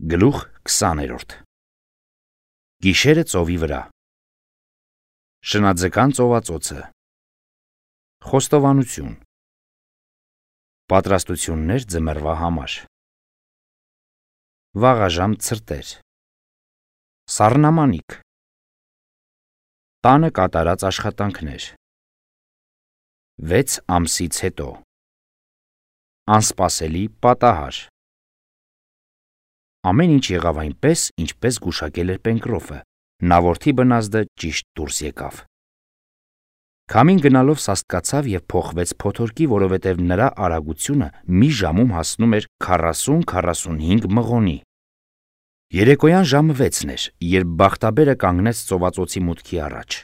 Գլուխ 20-րդ Գիշերը ծովի վրա Շնաձկան ծովածոցը Խոստովանություն Պատրաստություններ ձմեռվա համար Վաղաժամ ցրտեր Սառնամանիք Տանը կատարած աշխատանքներ 6 ամսից հետո Անսպասելի պատահար Ամեն ինչ եղավ այնպես, ինչպես գուշակել էր Պենկրոֆը, նա որդի բնազդը ճիշտ դուրս եկավ։ Քամին գնալով սաստկացավ և փոխվեց փոթորկի, որովհետև նրա արագությունը մի ժամում հասնում էր 40-45 մղոնի։ Երեկոյան ժամը 6-ն էր, երբ բախտաբերը կանգնեց ծովածոցի մուտքի առաջ։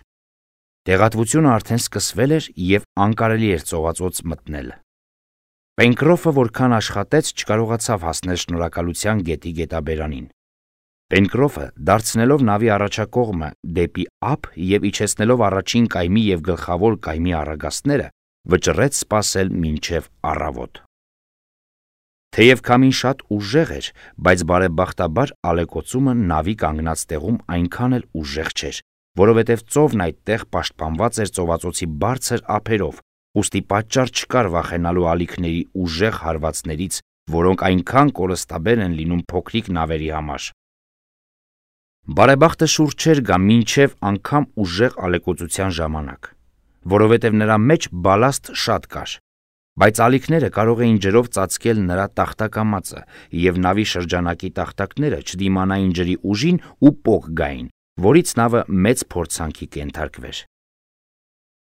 Տեղատվությունը արդեն սկսվել էր և անկարելի էր ծովածոց մտնել։ Պենկրոֆը որքան աշխատեց, չկարողացավ հասնել շնորհակալության գետի գետաբերանին։ Պենկրոֆը, դարձնելով նավի առաջակողմը դեպի ափ և իջեցնելով առաջին կայմի և գլխավոր կայմի առագաստները, վճռեց սպասել մինչև առավոտ։ Թեև քամին շատ ուժեղ էր, բայց բարեբախտաբար ալեկոծումը նավի կանգնած տեղում այնքան էլ ուժեղ չէր, որովհետև ծովն այդտեղ պաշտպանված էր ծովածոցի բարձր ափերով, ուստի պատճառ չկար վախենալու ալիքների ուժեղ հարվածներից, որոնք այնքան կորստաբեր են լինում փոքրիկ նավերի համար։ Բարեբախտը շուռ չէր գա մինչև անգամ ուժեղ ալեկոծության ժամանակ, որովհետև նրա մեջ բալաստ շատ կար, բայց ալիքները կարող էին ջրով ծածկել նրա տախտակամածը, և նավի շրջանակի տախտակները չդիմանային ջրի ուժին ու պոկ գային, որից նավը մեծ փորձանքի կենթարկվեր։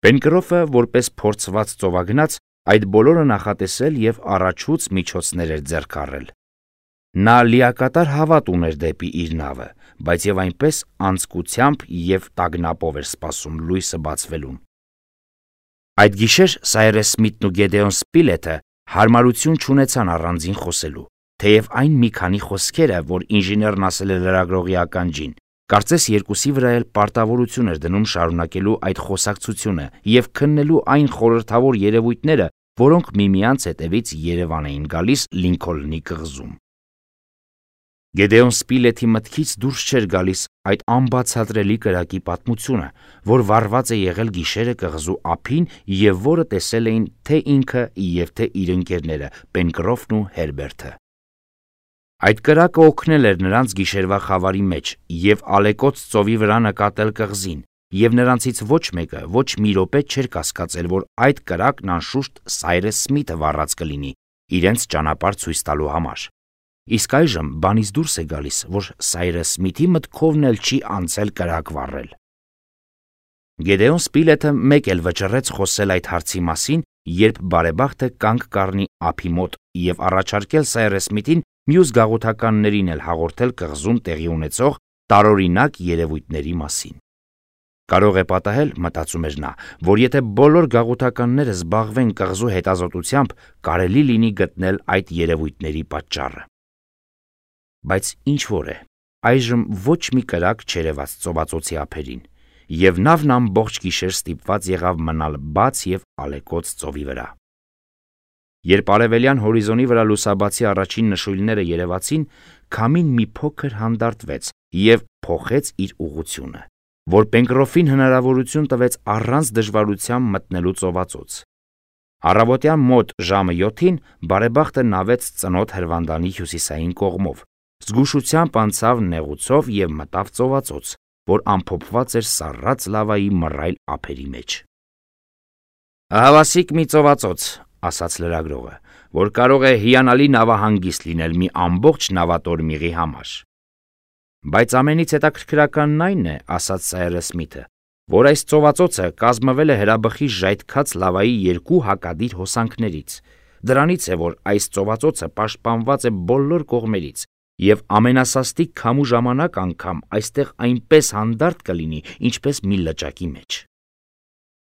Պենկրոֆը, որպես փորձված ծովագնաց, այդ բոլորը նախատեսել և առաջուց միջոցներ էր ձեռք առել։ Նա լիակատար հավատ ուներ դեպի իր նավը, բայց և այնպես անձկությամբ և տագնապով էր սպասում լույսը բացվելուն։ Այդ գիշեր Սայրես Սմիթն ու Գեդեոն Սպիլեթը հարմարություն չունեցան առանձին խոսելու, թեև այն մի քանի խոսքերը, որ ինժեներն ասել էր լրագրողի ականջին, կարծես երկուսի վրա էլ պարտավորություն էր դնում շարունակելու այդ խոսակցությունը և քննելու այն խորհրդավոր երևույթները, որոնք միմյանց հետևից Երևան էին գալիս Լինքոլնի կղզում։ Գեդեոն Սպիլեթի մտքից դուրս չէր գալիս այդ անբացատրելի կրակի պատմությունը, որ վառված է եղել գիշերը կղզու ափին և որը տեսել էին թե ինքը և թե իր ընկերները Պենկրոֆն ու Հերբերտը։ Այդ կրակը օգնել էր նրանց գիշերվա խավարի մեջ և ալեկոծ ծովի վրա նկատել կղզին, և նրանցից ոչ մեկը ոչ մի րոպե չէր կասկածել, որ այդ կրակն անշուշտ Սայրես Սմիթը վառած կլինի իրենց ճանապարհ ցույց տալու համար։ Իսկ այժմ բանից դուրս է գալիս, որ Սայրես Սմիթի մտքովն էլ չի անցել կրակ վառել։ Գեդեոն Սպիլեթը մեկ էլ վճռեց խոսել այդ հարցի մասին, երբ բարեբախտը կանգ կառնի ափի մոտ և առաջարկել Սայրես Սմիթին մյուս գաղութականներին էլ հաղորդել կղզում տեղի ունեցող տարօրինակ երևույթների մասին։ Կարող է պատահել, մտածում էր նա, որ եթե բոլոր գաղութականները զբաղվեն կղզու հետազոտությամբ, կարելի լինի գտնել այդ երևույթների պատճառը։ Բայց ինչ-որ է, այժմ ոչ մի կրակ չերևաց ծովածոցի ափերին, և նավն ամբողջ գիշեր ստիպված եղավ մնալ բաց և ալեկոծ ծովի վրա։ Երբ արևելյան հորիզոնի վրա լուսաբացի առաջին նշույլները երևացին, քամին մի փոքր հանդարտվեց և փոխեց իր ուղղությունը, որ Պենկրոֆին հնարավորություն տվեց առանց դժվարության մտնելու ծովածոց։ Առավոտյան մոտ ժամը 7-ին բարեբախտը նավեց ծնոտ հրվանդանի հյուսիսային կողմով, զգուշությամբ անցավ նեղուցով և մտավ ծովածոց, որ ամփոփված էր սառած լավայի մռայլ ափերի մեջ։ «Ահավասիկ մի ծովածոց», ասաց լրագրողը, որ կարող է հիանալի նավահանգիստ լինել մի ամբողջ նավատորմիղի համար։ Բայց ամենից հետաքրքրականն այն է, ասաց Սայրես Սմիթը, որ այս ծովածոցը կազմվել է հրաբխի ժայթքած լավայի 2 հակադիր հոսանքներից։ Դրանից է, որ այս ծովածոցը պաշտպանված է բոլոր կողմերից, և ամենասաստիկ քամու ժամանակ անգամ այստեղ այնպես հանդարտ կլինի, ինչպես մի լճակի մեջ։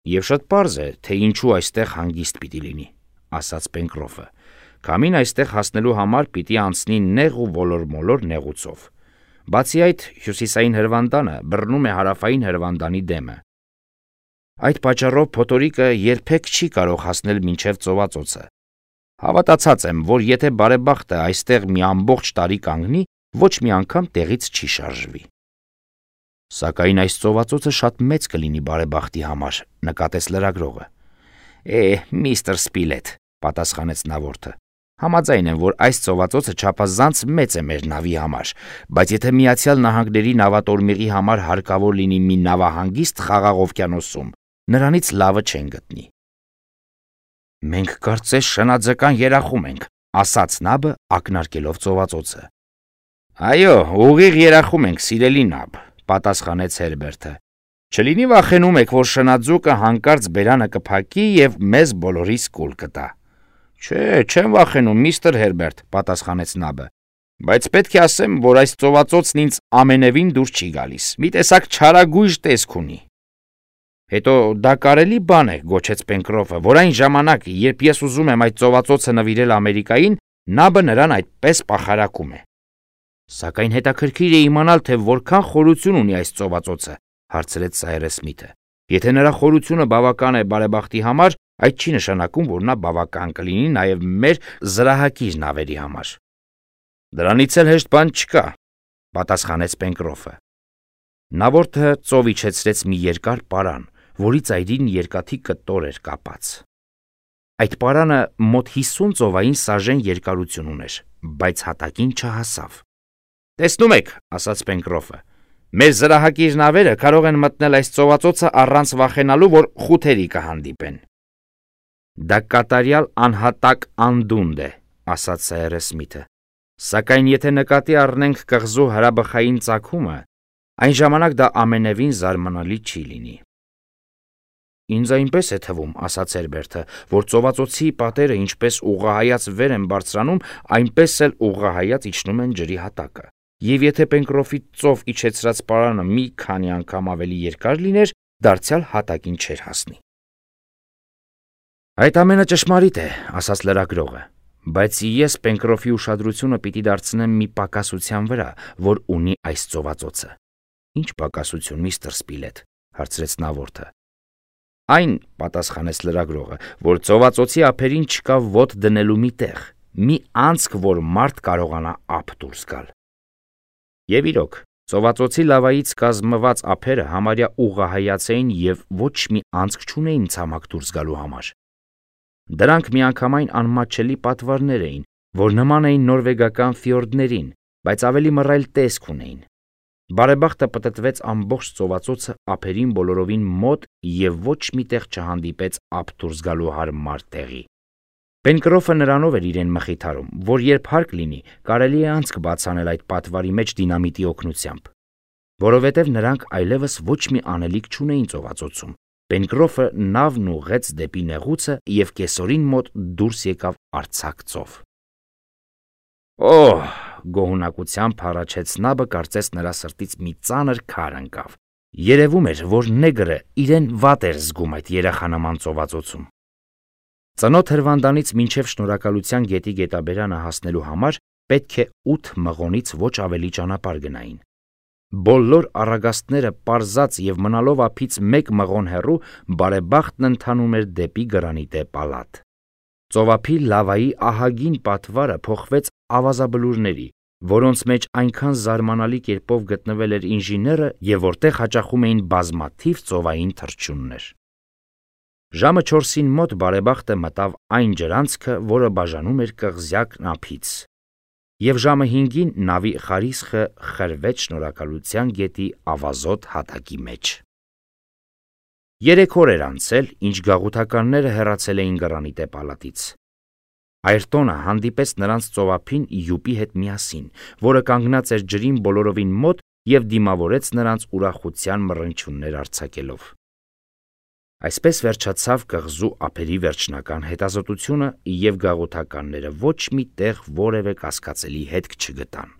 Եվ շատ պարզ է, թե ինչու այստեղ հանգիստ պիտի լինի, ասաց Պենկրոֆը։ Քամին այստեղ հասնելու համար պիտի անցնի նեղ ու ոլոր-մոլոր նեղուցով։ Բացի այդ, հյուսիսային հրվանդանը բռնում է հարավային հրվանդանի դեմը։ Այդ պատճառով փոթորիկը երբեք չի կարող հասնել մինչև ծովածոցը։ Հավատացած եմ, որ եթե բարեբախտը այստեղ մի ամբողջ տարի կանգնի, ոչ մի անգամ տեղից չի շարժվի։ Սակայն այս ծովածոցը շատ մեծ կլինի բարեբախտի համար, նկատեց լրագրողը։ Միստր Սպիլետ, պատասխանեց նավորդը, համաձայն եմ, որ այս ծովածոցը չափազանց մեծ է մեր նավի համար, բայց եթե Միացյալ Նահանգների նավատորմիղի համար հարկավոր լինի մի նավահանգիստ Խաղաղ օվկիանոսում, նրանից լավը չեն գտնի։ Մենք կարծես շնաձկան երախում ենք, ասաց նաբը, ակնարկելով ծովածոցը։ Այո, ուղիղ երախում ենք, սիրելի նաբ, պատասխանեց Հերբերտը։ Չլինի վախենում եք, որ շնաձուկը հանկարծ բերանը կփակի եւ մեզ բոլորիս կուլ կտա։ Չէ, չեմ վախենում, միստր Հերբերտ, պատասխանեց նաբը, բայց պետք է ասեմ, որ այս ծովածոցն ինձ ամենևին դուր չի գալիս։ Մի տեսակ չարագույժ տեսք ունի։ Հետո դա կարելի բան է, գոչեց Պենկրոֆը, որ այն ժամանակ, երբ ես ուզում եմ այդ ծովածոցը նվիրել Ամերիկային, նաբը նրան այդպես պախարակում է։ Սակայն հետաքրքիր է իմանալ, թե որքան խորություն ունի այս ծովածոցը, հարցրեց Սայրես Սմիթը։ Եթե նրա խորությունը բավական է բարեբախտի համար, այդ չի նշանակում, որ նա բավական կլինի նաև մեր զրահակիր նավերի համար։ Դրանից էլ հեշտ բան չկա, պատասխանեց Պենկրոֆը։ Նավորդը ծով իջեցրեց մի երկար պարան, որի ծայրին երկաթի կտոր էր կապած։ Այդ պարանը մոտ 50 ծովային սաժեն երկարություն ուներ, բայց հատակին չհասավ։ Տեսնում եք, ասաց Պենկրոֆը, մեր զրահակիր նավերը կարող են մտնել այս ծովածոցը առանց վախենալու, որ խութերի կհանդիպեն։ Դա կատարյալ անհատակ անդունդ է, ասաց Սայրես Սմիթը, սակայն եթե նկատի առնենք կղզու հրաբխային ծագումը, այն ժամանակ դա ամենևին զարմանալի չի լինի։ Ինձ այնպես է թվում, ասաց Հերբերտը, որ ծովածոցի պատերը ինչպես ուղղահայաց վեր են բարձրանում, այնպես էլ ուղղահայաց իջնում են ջրի հատակը։ Եվ եթե Պենկրոֆի ծով իջեցրած պարանը մի քանի անգամ ավելի երկար լիներ, դարձյալ հատակին չէր հասնի։ Այդ ամենը ճշմարիտ է, ասաց լրագրողը, բայց ես Պենկրոֆի ուշադրությունը պիտի դարձնեմ մի պակասության վրա, որ ունի այս ծովածոցը։ Ինչ պակասություն, միստր Սպիլետ, հարցրեց նավորդը։ Այն, պատասխանեց լրագրողը, որ ծովածոցի ափերին չկա ոտ դնելու մի տեղ, մի անցք, որ մարդ կարողանա ափ դուրս գալ։ Եվ իրոք, ծովածոցի լավայից կազմված ափերը համարյա ուղղահայաց էին և ոչ մի անցք չունեին ցամաք դուրս գալու համար։ Դրանք միանգամայն անմատչելի պատվարներ էին, որ նման էին նորվեգական ֆյորդներին, բայց ավելի մռայլ տեսք ունեին։ Բարեբախտը պտտվեց ամբողջ ծովածոցը ափերին բոլորովին մոտ և ոչ մի տեղ չհանդիպեց ափ դուրս գալու հարմար տեղի։ Պենկրոֆը նրանով էր իրեն մխիթարում, որ երբ հարկ լինի, կարելի է անցք բացանել այդ պատվարի մեջ դինամիտի օգնությամբ, որովհետև նրանք այլևս ոչ մի անելիք չունեին ծովածոցում։ Պենկրոֆը նավն ուղղեց դեպի նեղուցը և կեսօրին մոտ դուրս եկավ արձակ ծով։ Օհ, գոհունակությամբ հառաչեց նաբը, կարծես նրա սրտից մի ծանր քար ընկավ։ Երևում էր, որ նեգրը իրեն վատ էր զգում այդ երախանման ծովածոցում։ Ծնոթ հրվանդանից մինչև Շնորհակալության գետի գետաբերանը հասնելու համար պետք է 8 մղոնից ոչ ավելի ճանապարհ գնային։ Բոլոր առագաստները պարզած և մնալով ափից 1 մղոն հեռու, բարեբախտն ընթանում էր դեպի գրանիտե պալատ։ Ծովափի լավայի ահագին պատվարը փոխվեց ավազաբլուրների, որոնց մեջ այնքան զարմանալի կերպով գտնվել էր ինժեները և որտեղ հաճախում էին բազմաթիվ ծովային թռչուններ։ Ժամը 4-ին մոտ բարեբախտը մտավ այն ջրանցքը, որը բաժանում էր կղզյակն ափից, և ժամը 5-ին նավի խարիսխը խրվեց Շնորհակալության գետի ավազոտ հատակի մեջ։ 3 օր էր անցել, ինչ գաղութականները հեռացել էին գրանիտե պալատից։ Այրտոնը հանդիպեց նրանց ծովափին յուպի հետ միասին, որը կանգնած էր ջրին բոլորովին մոտ և դիմավորեց նրանց ուրախության մռնչյուններ արձակելով։ Այսպես վերջացավ կղզու ափերի վերջնական հետազոտությունը, և գաղութականները ոչ մի տեղ որևէ կասկածելի հետք չգտան։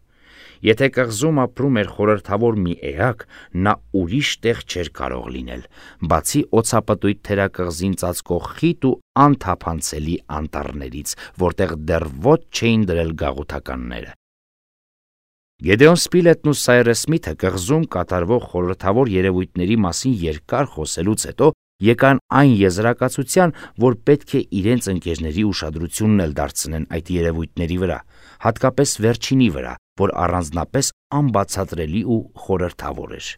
Եթե կղզում ապրում էր խորհրդավոր մի էակ, նա ուրիշ տեղ չէր կարող լինել, բացի օձապտույտ թերակղզին ծածկող խիտ ու անթափանցելի անտառներից, որտեղ դեռ ոտ չէին դրել գաղութականները։ Գեդեոն Սպիլետն ու Սայրես Սմիթը կղզում կատարվող խորհրդավոր երևույթների մասին երկար խոսելուց հետո եկան այն եզրակացության, որ պետք է իրենց ընկերների ուշադրությունն էլ դարձնեն այդ երևույթների վրա, հատկապես վերջինի վրա, որ առանձնապես անբացատրելի ու խորհրդավոր էր։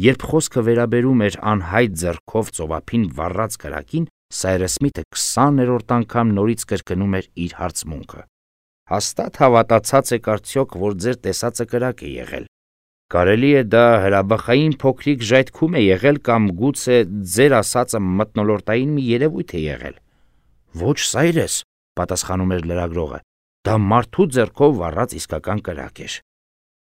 Երբ խոսքը վերաբերում էր անհայտ ձեռքով ծովափին վառած կրակին, Սայրս Սմիթը 20-րդ անգամ նորից կրկնում էր իր հարցմունքը։ Հաստատ հավատացած եք արդյոք, որ ձեր տեսածը կրակ է եղել։ Կարելի է դա հրաբխային փոքրիկ ժայթքում է եղել կամ գուցե ձեր ասածը մթնոլորտային մի երևույթ է եղել։ Ոչ, Սայրես, պատասխանում էր լրագրողը, դա մարդու ձեռքով վառած իսկական կրակ էր։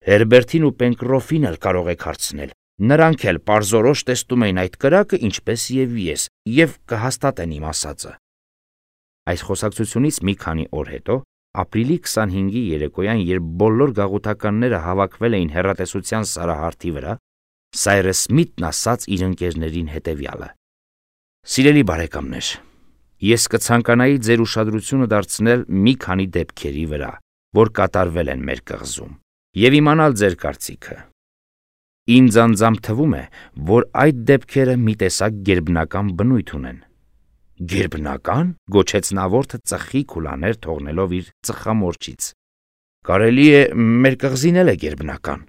Հերբերտին ու Պենկրոֆին էլ կարող եք հարցնել։ Նրանք էլ պարզորոշ տեսնում էին այդ կրակը, ինչպես և ես, և կհաստատեն իմ ասածը։ Այս խոսակցությունից մի քանի օր հետո, ապրիլի 25-ի երեկոյան, երբ բոլոր գաղութականները հավաքվել էին հեռատեսության սարահարթի վրա, Սայրս Սմիթն ասաց իր ընկերներին հետևյալը. «Սիրելի բարեկամներ, ես կցանկանայի ձեր ուշադրությունը դարձնել մի քանի դեպքերի վրա, որ կատարվել են մեր կղզում, և իմանալ ձեր կարծիքը։ Ինձ անձամբ թվում է, որ այդ դեպքերը մի տեսակ գերբնական բնույթ ունեն»։ Գերբնական, գոչեց Նավորդը ծխի քուլաներ թողնելով իր ծխամորճից։ Կարելի է մեր կղզին էլ է գերբնական։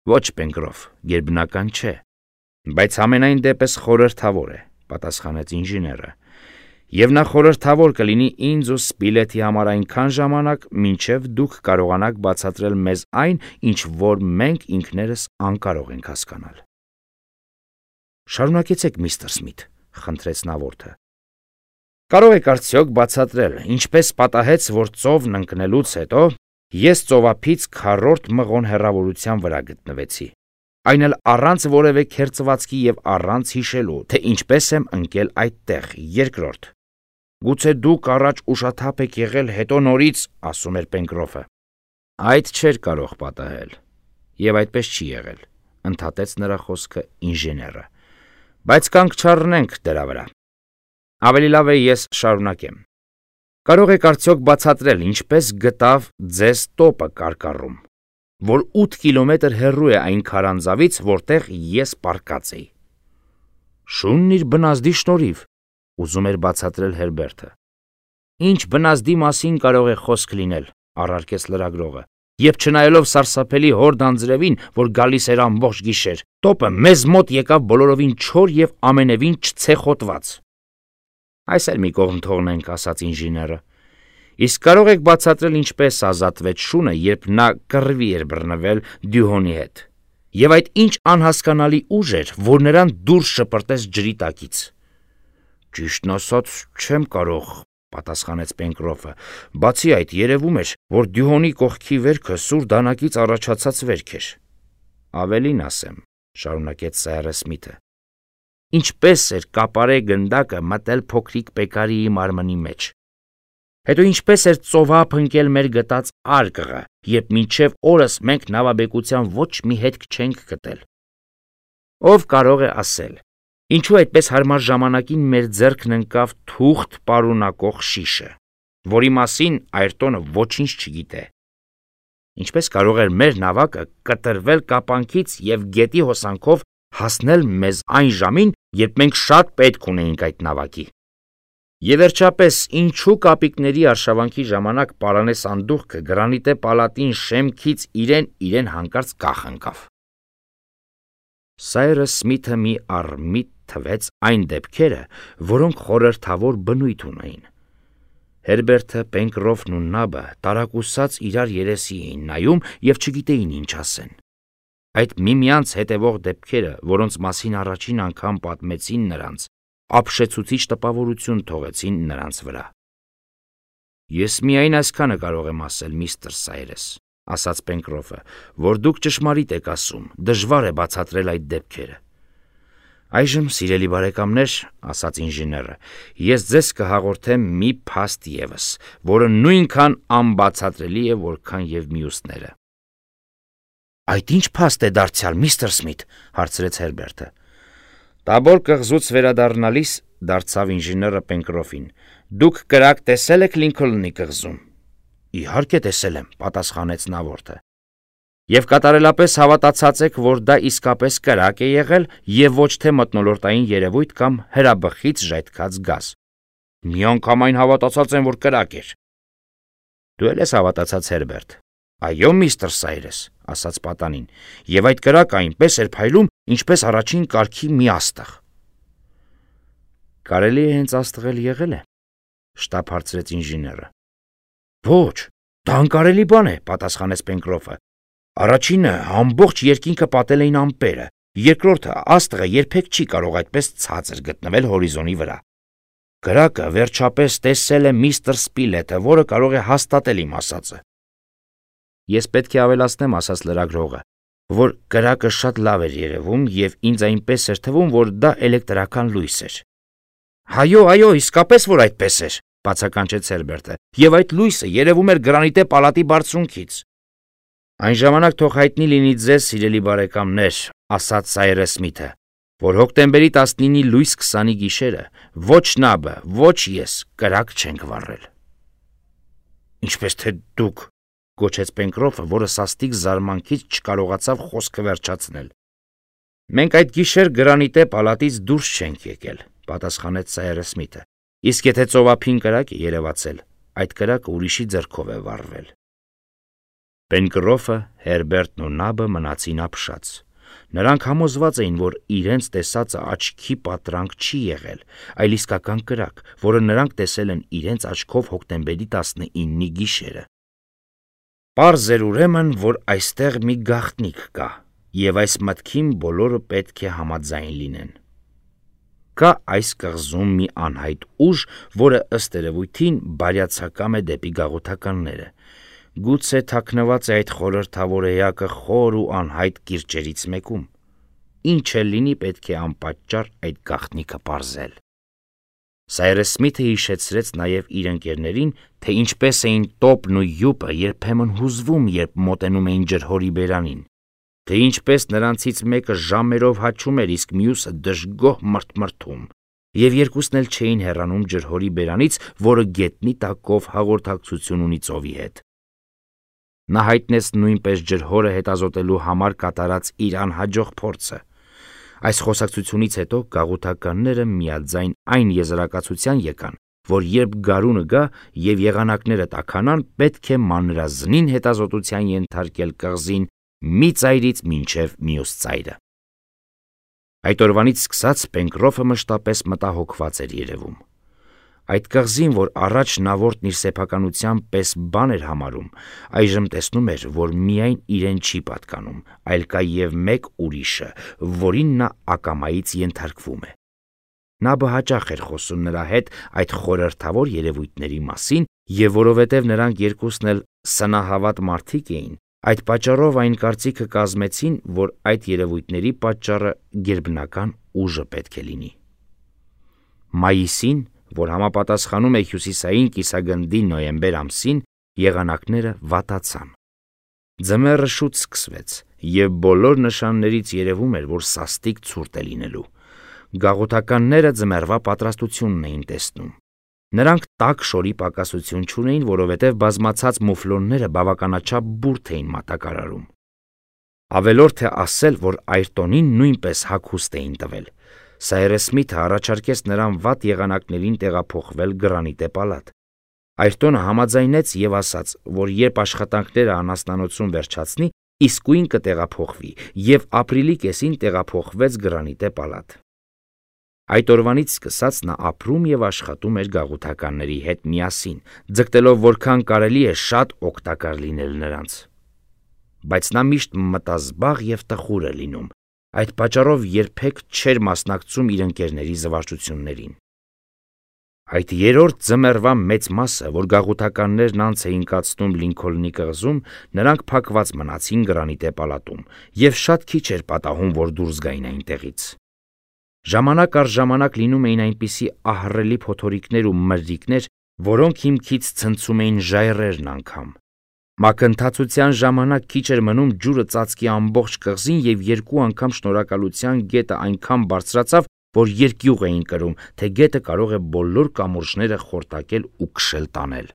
Ոչ, Պենկրոֆ, գերբնական չէ, բայց ամենայն դեպս խորհրդավոր է, պատասխանեց ինժեները, և նա խորհրդավոր կլինի ինձ ու Սպիլեթի համար այնքան ժամանակ, մինչև դուք կարողանաք բացատրել մեզ այն, ինչ որ մենք ինքներս անկարող ենք հասկանալ։ Շարունակեցեք, միստր Սմիթ, խնդրեց Նավորդը։ Կարող եք արդյոք բացատրել, ինչպես պատահեց, որ ծովն ընկնելուց հետո ես ծովափից քառորդ մղոն հեռավորության վրա գտնվեցի, այն էլ առանց որևէ քերծվածքի և առանց հիշելու, թե ինչպես եմ ընկել այդտեղ, երկրորդ։ Գուցե դուք առաջ ուշաթափ եք եղել, հետո նորից, ասում էր Պենկրոֆը։ Այդ չէր կարող պատահել, և այդպես չի եղել, ընդհատեց նրա խոսքը ինժեները, բայց կանգ չառնենք դրա վրա։ Ավելի լավ է ես շարունակեմ։ Կարող եք արդյոք բացատրել, ինչպես գտավ ձեզ տոպը կարկառում, որ 8 կիլոմետր հեռու է այն քարանձավից, որտեղ ես պառկած էի։ Շունն իր բնազդի շնորհիվ, ուզում էր բացատրել Հերբերտը։ Ինչ բնազդի մասին կարող է խոսք լինել, առարկեց լրագրողը, երբ չնայելով սարսափելի հորդ անձրևին, որ գալիս էր ամբողջ գիշեր, տոպը մեզ մոտ եկավ բոլորովին չոր և ամենևին չցեխոտված։ Այս էլ մի կողմ թողնենք, ասաց ինժեները։ Իսկ կարող եք բացատրել, ինչպես ազատվեց շունը, երբ նա կռվի էր բռնվել Դյուհոնի հետ, և այդ ինչ անհասկանալի ուժ էր, որ նրան դուրս շպրտեց ջրի տակից։ Ճիշտն ասած, չեմ կարող, պատասխանեց Պենկրոֆը, բացի այդ երևում էր, որ Դյուհոնի կողքի վերքը սուր դանակից առաջացած վերք էր։ Ավելին ասեմ, շարունակեց Սայրս Սմիթը, ինչպես էր կապարե գնդակը մտել փոքրիկ Պեկարիի մարմնի մեջ։ Հետո ինչպես էր ծովափ ընկել մեր գտած արկղը, երբ մինչև օրս մենք նավաբեկության ոչ մի հետք չենք գտել։ Ով կարող է ասել, ինչու այդպես հարմար ժամանակին մեր ձեռքն ընկավ թուղթ պարունակող շիշը, որի մասին Այրտոնը ոչինչ չգիտե։ Ինչպես կարող էր մեր նավակը կտրվել կապանքից և գետի հոսանքով հասնել մեզ այն ժամին, երբ մենք շատ պետք ունեինք այդ նավակի։ Եվ վերջապես, ինչու կապիկների արշավանքի ժամանակ պարանե սանդուղքը գրանիտե պալատին շեմքից իրեն հանկարծ կախ ընկավ։ Սայրս Սմիթը մի առմիտ թվեց այն դեպքերը, որոնք խորհրդավոր բնույթ ունեին։ Հերբերտը, Պենկրոֆն ու Նաբը տարակուսած իրար երեսի էին նայում և չգիտեին ինչ ասեն։ Այդ միմյանց հետևող դեպքերը, որոնց մասին առաջին անգամ պատմեցին նրանց, ապշեցուցիչ տպավորություն թողեցին նրանց վրա։ Ես միայն այսքանը կարող եմ ասել, միստր Սայրես, ասաց Պենկրոֆը, որ դուք ճշմարիտ եք ասում, դժվար է բացատրել այդ դեպքերը։ Այժմ, սիրելի բարեկամներ, ասաց ինժեները, ես ձեզ կհաղորդեմ մի փաստ ևս, որը նույնքան անբացատրելի է, որքան և մյուսները։ Այդ ինչ փաստ է դարձյալ, միստր Սմիթ, հարցրեց Հերբերտը։ Տաբոր կղզուց վերադառնալիս, դարձավ ինժեները Պենկրոֆին, դուք կրակ տեսել եք Լինքոլնի կղզում։ Իհարկե տեսել եմ, պատասխանեց Նավորդը։ Եվ կատարելապես հավատացած եք, որ դա իսկապես կրակ է եղել և ոչ թե մթնոլորտային երևույթ կամ հրաբխից ժայթքած գազ։ Միանգամայն հավատացած եմ, որ կրակ էր։ Դու էլ ես հավատացած, Հերբերտ, Այո, միստր Սայրես, ասաց պատանին, եւ այդ կրակը այնպես էր փայլում, ինչպես առաջին կարգի մի աստղ։ Կարելի է հենց աստղել եղել է, շտապ հարցրեց ինժեները։ Ոչ, դա անկարելի բան է, պատասխանեց Պենկրոֆը։ Առաջինը ամբողջ երկինքը պատել էին ամպերը, երկրորդը աստղը երբեք չի կարող այդպես ցածր գտնվել հորիզոնի վրա։ Կրակը վերջապես տեսել է միստր Սպիլետը, որը կարող է հաստատել իմ ասածը։ Ես պետք է ավելացնեմ, ասաց լրագրողը, որ կրակը շատ լավ էր երևում եւ ինձ այնպես էր թվում, որ դա էլեկտրական լույս էր։ Այո, իսկապես որ այդպես էր, բացականչեց Հերբերտը, եւ այդ լույսը երևում էր Գրանիտե պալատի բարձունքից։ Այն ժամանակ թող հայտնի լինի ձեզ, սիրելի բարեկամներ, ասաց Սայրես Սմիթը, որ հոկտեմբերի 19-ի լույս 20-ի գիշերը ոչ նաբը, ոչ ես կրակ չենք վառել։ Ինչպես թե դուք, գոչեց Պենկրոֆը, որը սաստիկ զարմանքից չկարողացավ խոսքը վերջացնել։ Մենք այդ գիշեր Գրանիտե պալատից դուրս չենք եկել, պատասխանեց Սայրես Սմիթը։ Իսկ եթե ծովափին կրակ է երևացել, այդ կրակը ուրիշի ձեռքով է վառվել։ Պենկրոֆը, Հերբերտն ու նաբը մնացին ապշած։ Նրանք համոզված էին, որ իրենց տեսածը աչքի պատրանք չի եղել, այլ իսկական կրակ, որը նրանք տեսել են իրենց աչքով հոկտեմբերի 19-ի գիշերը։ Պարզ էր ուրեմն, որ այստեղ մի գաղտնիք կա, եւ այս մտքին բոլորը պետք է համաձայն լինեն։ Կա այս կղզում մի անհայտ ուժ, որը ըստ երևույթին բարյացակամ է դեպի գաղութականները։ Գուցե թաքնված է այդ խորհրդավոր էակը խոր ու անհայտ կիրճերից մեկում։ Ինչ էլ լինի, պետք է անպատճառ այդ գաղտնիքը պարզել։ Սայրես Սմիթը հիշեցրեց նաև իր ընկերներին, թե ինչպես էին տոպն ու յուպը երբեմն հուզվում, երբ մոտենում էին ջրհորի բերանին, թե ինչպես նրանցից մեկը ժամերով հաչում էր, իսկ մյուսը դժգոհ մրթմրթում, եւ երկուսն էլ չէին հեռանում ջրհորի բերանից, որը գետնի տակով հաղորդակցություն ունի ծովի հետ։ Նա հայտնեց նույնպես ջրհորը հետազոտելու համար կատարած իր անհաջող փորձը։ Այս խոսակցությունից հետո գաղութականները միաձայն այն եզրակացության եկան, որ երբ գարունը գա եւ եղանակները տաքանան, պետք է մանրազնին հետազոտության ենթարկել կղզին մի ծայրից մինչև մյուս ծայրը։ Այդ օրվանից սկսած Պենկրոֆը մշտապես մտահոգված էր երևում։ Այդ կղզին, որ առաջ նավորդն իր սեփականության պես բան էր համարում, այժմ տեսնում էր, որ միայն իրեն չի պատկանում, այլ կա եւ մեկ ուրիշը, որին նա ակամայից ենթարկվում է։ Նա հաճախ էր խոսում նրա հետ այդ խորհրդավոր երևույթների մասին, եւ որովհետեւ նրանք երկուսն էլ սնահավատ մարդիկ էին, այդ պատճառով այն կարծիքը կազմեցին, որ այդ երևույթների պատճառը գերբնական ուժը պետք է լինի։ Մայիսին, որ համապատասխանում է հյուսիսային կիսագնդի նոյեմբեր ամսին, եղանակները վատացան։ Ձմեռը շուտ սկսվեց, եւ բոլոր նշաններից երևում էր, որ սաստիկ ցուրտ է լինելու։ Գաղութականները ձմեռվա պատրաստությունն էին տեսնում։ Նրանք տաք շորի պակասություն չունեին, որովհետև բազմացած մուֆլոնները բավականաչափ բուրդ էին մատակարարում։ Ավելորդ է ասել, որ Այրտոնին նույնպես հագուստ էին տվել։ Սայրես Սմիթը առաջարկեց նրան վատ եղանակներին տեղափոխվել Գրանիտե պալատ։ Այրտոնը համաձայնեց եւ ասաց, որ երբ աշխատանքները անասնանոցում վերջացնի, իսկույն կտեղափոխվի եւ ապրիլի կեսին տեղափոխվեց Գրանիտե պալատ։ Այդ օրվանից սկսած նա ապրում եւ աշխատում էր գաղութականների հետ միասին, ձգտելով որքան կարելի է շատ օգտակար լինել նրանց։ Բայց նա միշտ մտազբաղ եւ տխուր է լինում, այդ պատճառով երբեք չէր մասնակցում իր ընկերների զվարճություններին։ Այդ երրորդ ձմեռվա մեծ մասը, որ գաղութականներն անց էին կացնում Լինքոլնի կղզում, նրանք փակված մնացին Գրանիտե պալատում եւ շատ քիչ էր պատահում, որ դուրս գային այնտեղից։ Ժամանակ առ ժամանակ լինում էին այնպիսի ահռելի փոթորիկներ ու մրրիկներ, որոնք հիմքից ցնցում էին ժայռերն անգամ։ Մակընթացության ժամանակ քիչ էր մնում ջուրը ծածկի ամբողջ կղզին եւ երկու անգամ շնորհակալության գետը այնքան բարձրացավ, որ երկյուղ էին կրում, թե գետը կարող է բոլոր կամուրջները խորտակել ու քշել տանել։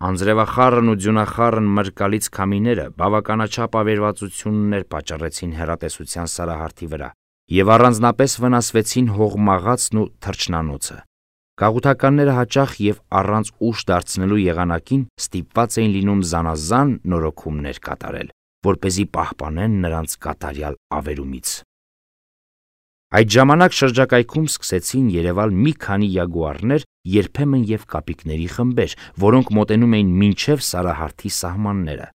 Անձրևախառն ու ձյունախառն մրկալից քամիները բավականաչափ ավերվածություններ պատճառեցին հեռատեսության սարահարթի վրա եւ առանձնապես վնասվեցին հողմաղացն ու թռչնանոցը։ Գաղութականները հաճախ եւ առանց ուշ դարձնելու եղանակին ստիպված էին լինում զանազան նորոգումներ կատարել, որպեսզի պահպանեն նրանց կատարյալ ավերումից։ Այդ ժամանակ շրջակայքում սկսեցին երևալ մի քանի յագուարներ, երբեմն եւ կապիկների խմբեր, որոնք մոտենում էին մինչև Սարահարթի սահմանները։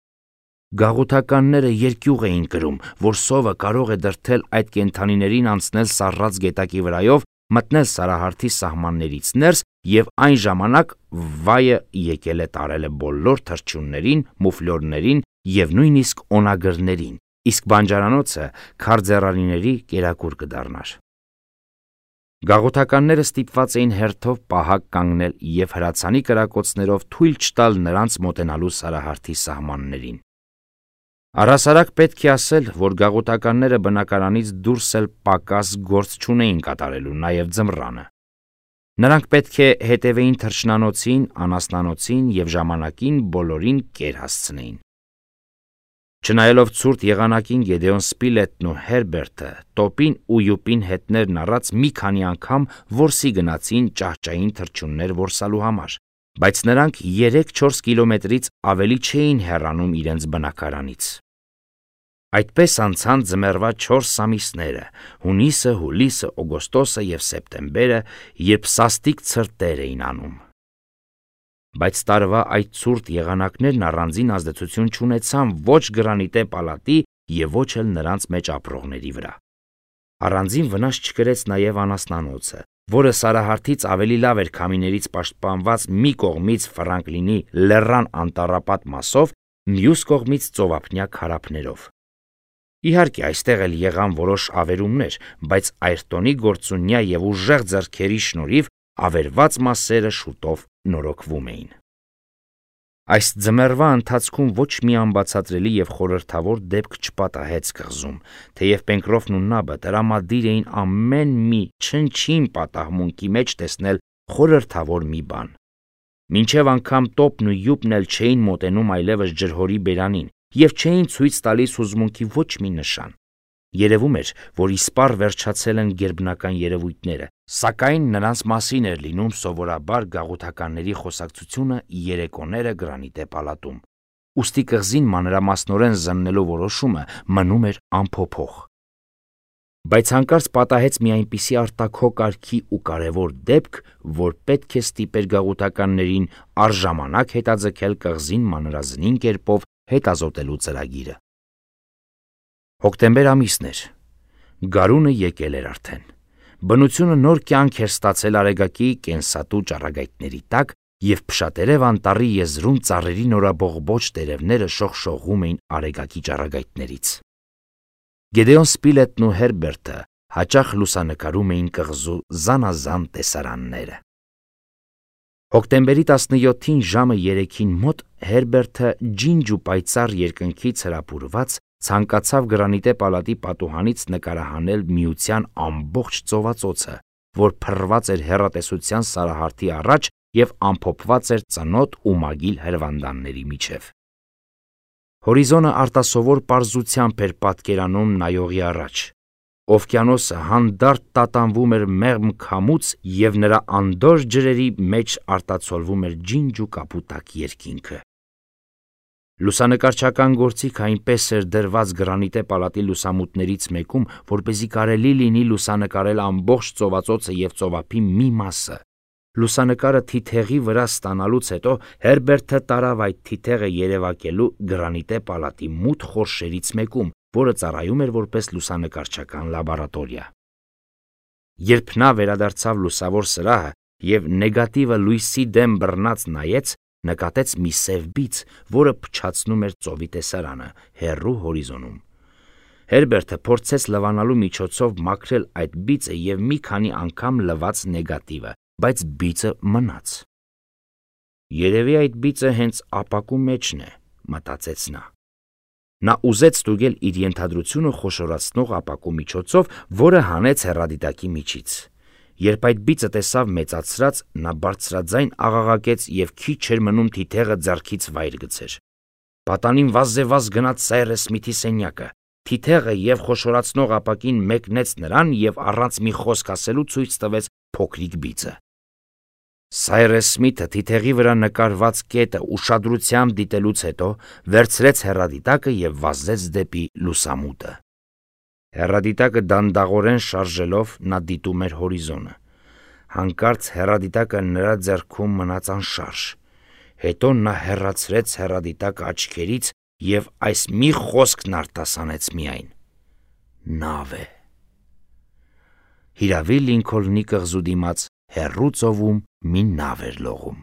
Գաղութականները երկյուղ էին կրում, որ սովը կարող է դրդել այդ կենդանիներին անցնել սառած գետակի վրայով, մտնել Սարահարթի սահմաններից ներս եւ այն ժամանակ վայը եկել է տարել է բոլոր թռչուններին, մուֆլյորներին եւ նույնիսկ օնագրներին, իսկ բանջարանոցը քարձեռարիների կերակուր կդառնար։ Գաղութականները ստիպված էին հերթով պահակ կանգնել եւ հրացանի կրակոցներով թույլ չտալ նրանց մոտենալու Սարահարթի սահմաններին։ Առհասարակ պետք է ասել, որ գաղութականները բնակարանից դուրս էլ պակաս գործ չունեին կատարելու, նաև ձմռանը։ Նրանք պետք է հետևեին թռչնանոցին, անասնանոցին եւ ժամանակին բոլորին կեր հասցնեին։ Չնայելով ցուրտ եղանակին Գեդեոն Սպիլետն ու Հերբերտը տոպին ու յուպին հետներն առած մի քանի անգամ որսի գնացին ճահճային թռչուններ որսալու համար, բայց նրանք 3-4 կիլոմետրից ավելի չէին հեռանում իրենց բնակարանից։ Այդպես անցան ձմեռվա 4 ամիսները՝ հունիսը, հուլիսը, օգոստոսը եւ սեպտեմբերը, երբ սաստիկ ցրտեր էին անում։ Բայց տարվա այդ ցուրտ եղանակներն առանձին ազդեցություն չունեցան ոչ գրանիտե պալատի եւ ոչ էլ նրանց մեջ ապրողների վրա։ Առանձին վնաս չկրեց նաեւ անասնանոցը, որը Սարահարթից ավելի լավ էր քամիներից պաշտպանված մի կողմից Ֆրանկլինի լեռան անտառապատ մասով, մյուս կողմից ծովափնյա քարափներով։ Իհարկե, այստեղ էլ եղան որոշ ավերումներ, բայց Այրտոնի գործունյա եւ ուժեղ ձեռքերի շնորհիվ ավերված մասերը շուտով նորոգվում էին։ Այս ձմեռվա ընթացքում ոչ մի անբացատրելի եւ խորհրդավոր դեպք չպատահեց կղզում, թեև Պենկրոֆն ու Նաբը տրամադիր էին ամեն մի չնչին պատահմունքի մեջ տեսնել խորհրդավոր մի բան։ Մինչև անգամ տոպն ու յուպն էլ չէին մոտենում այլևս ջրհորի բերանին եւ չէին ցույց տալիս հուզմունքի ոչ մի նշան։ Երևում էր, որ իսպառ վերջացել են գերբնական երևույթները, սակայն նրանց մասին էր լինում սովորաբար գաղութականների խոսակցությունը երեկոները գրանիտե պալատում։ Ուստի կղզին մանրամասնորեն զննելու որոշումը մնում էր անփոփոխ։ Բայց հանկարծ պատահեց մի այնպիսի արտաքոկարգի ու կարևոր դեպք, որ պետք է ստիպեր գաղութականներին առժամանակ հետաձգել կղզին մանրազնին կերպով հետազոտելու ծրագիրը։ Հոկտեմբեր ամիսն էր։ Գարունը եկել էր արդեն։ Բնությունը նոր կյանք էր ստացել Արեգակի կենսատու ճառագայթների տակ, եւ Փշատերև անտառի եզրում ծառերի նորաբողբոջ տերևները շողշողում էին Արեգակի ճառագայթներից։ Գեդեոն Սպիլետն ու Հերբերտը հաճախ լուսանկարում էին կղզու զանազան տեսարանները։ Հոկտեմբերի 17-ին ժամը 3-ին մոտ Հերբերտը ջինջ ու պայծառ երկնքից հրապուրված ցանկացավ գրանիտե պալատի պատուհանից նկարահանել միության ամբողջ ծովածոցը, որ փռված էր հեռատեսության Սարահարթի առաջ եւ ամփոփված էր ծնոտ ու մագիլ հրվանդանների միջև։ Հորիզոնը արտասովոր պարզությամբ էր պատկերանում նայողի առաջ։ Օվկիանոսը հանդարտ տատանվում էր մեղմ քամուց եւ նրա անդոր ջրերի մեջ արտացոլվում էր ջինջ ու կապուտակ երկինքը։ Լուսանկարչական գործիքը այնպես էր դրված գրանիտե պալատի լուսամուտներից մեկում, որպեսզի կարելի լինի լուսանկարել ամբողջ ծովածոցը եւ ծովափի մի մասը։ Լուսանկարը թիթեղի վրա ստանալուց հետո Հերբերտը տարավ այդ թիթեղը երևակելու գրանիտե պալատի մութ խորշերից մեկում, որը ծառայում էր որպես լուսանկարչական լաբորատորիա։ Երբ նա վերադարձավ լուսավոր սրահը եւ նեգատիվը լույսի դեմ բռնած նայեց, նկատեց մի սև բիծ, որը փչացնում էր ծովի տեսարանը հեռու հորիզոնում։ Հերբերտը փորձեց լվանալու միջոցով մաքրել այդ բիծը եւ մի քանի անգամ լվաց նեգատիվը, բայց բիծը մնաց։ Երևի այդ բիծը հենց ապակու մեջն է, մտածեց նա։ Նա ուզեց ստուգել իր ենթադրությունը խոշորացնող ապակու միջոցով, որը հանեց հեռադիտակի միջից։ Երբ այդ բիծը տեսավ մեծացրած, նա բարձրաձայն աղաղակեց եւ քիչ էր մնում թիթեղը ձեռքից վայր գցեր։ Պատանին վազեվազ գնաց Սայրես Սմիթի սենյակը։ Թիթեղը եւ խոշորացնող ապակին մեկնեց նրան եւ առանց մի խոսք ասելու ցույց տվեց փոքրիկ բիծը։ Սայրես Սմիթը թիթեղի վրա նկարված կետը ուշադրությամբ դիտելուց հետո վերցրեց հեռադիտակը և վազեց դեպի լուսամուտը։ Հեռադիտակը դանդաղորեն շարժելով նա դիտում էր հորիզոնը։ Հանկարծ հեռադիտակը նրա ձեռքում մնաց անշարժ։ Հետո նա հեռացրեց հեռադիտակը աչքերից և այս մի խոսքն արտասանեց միայն. «Նավ է»։ Հիրավի Լինքոլնի կղզու դիմաց հեռու ծովում մի նավ էր լողում։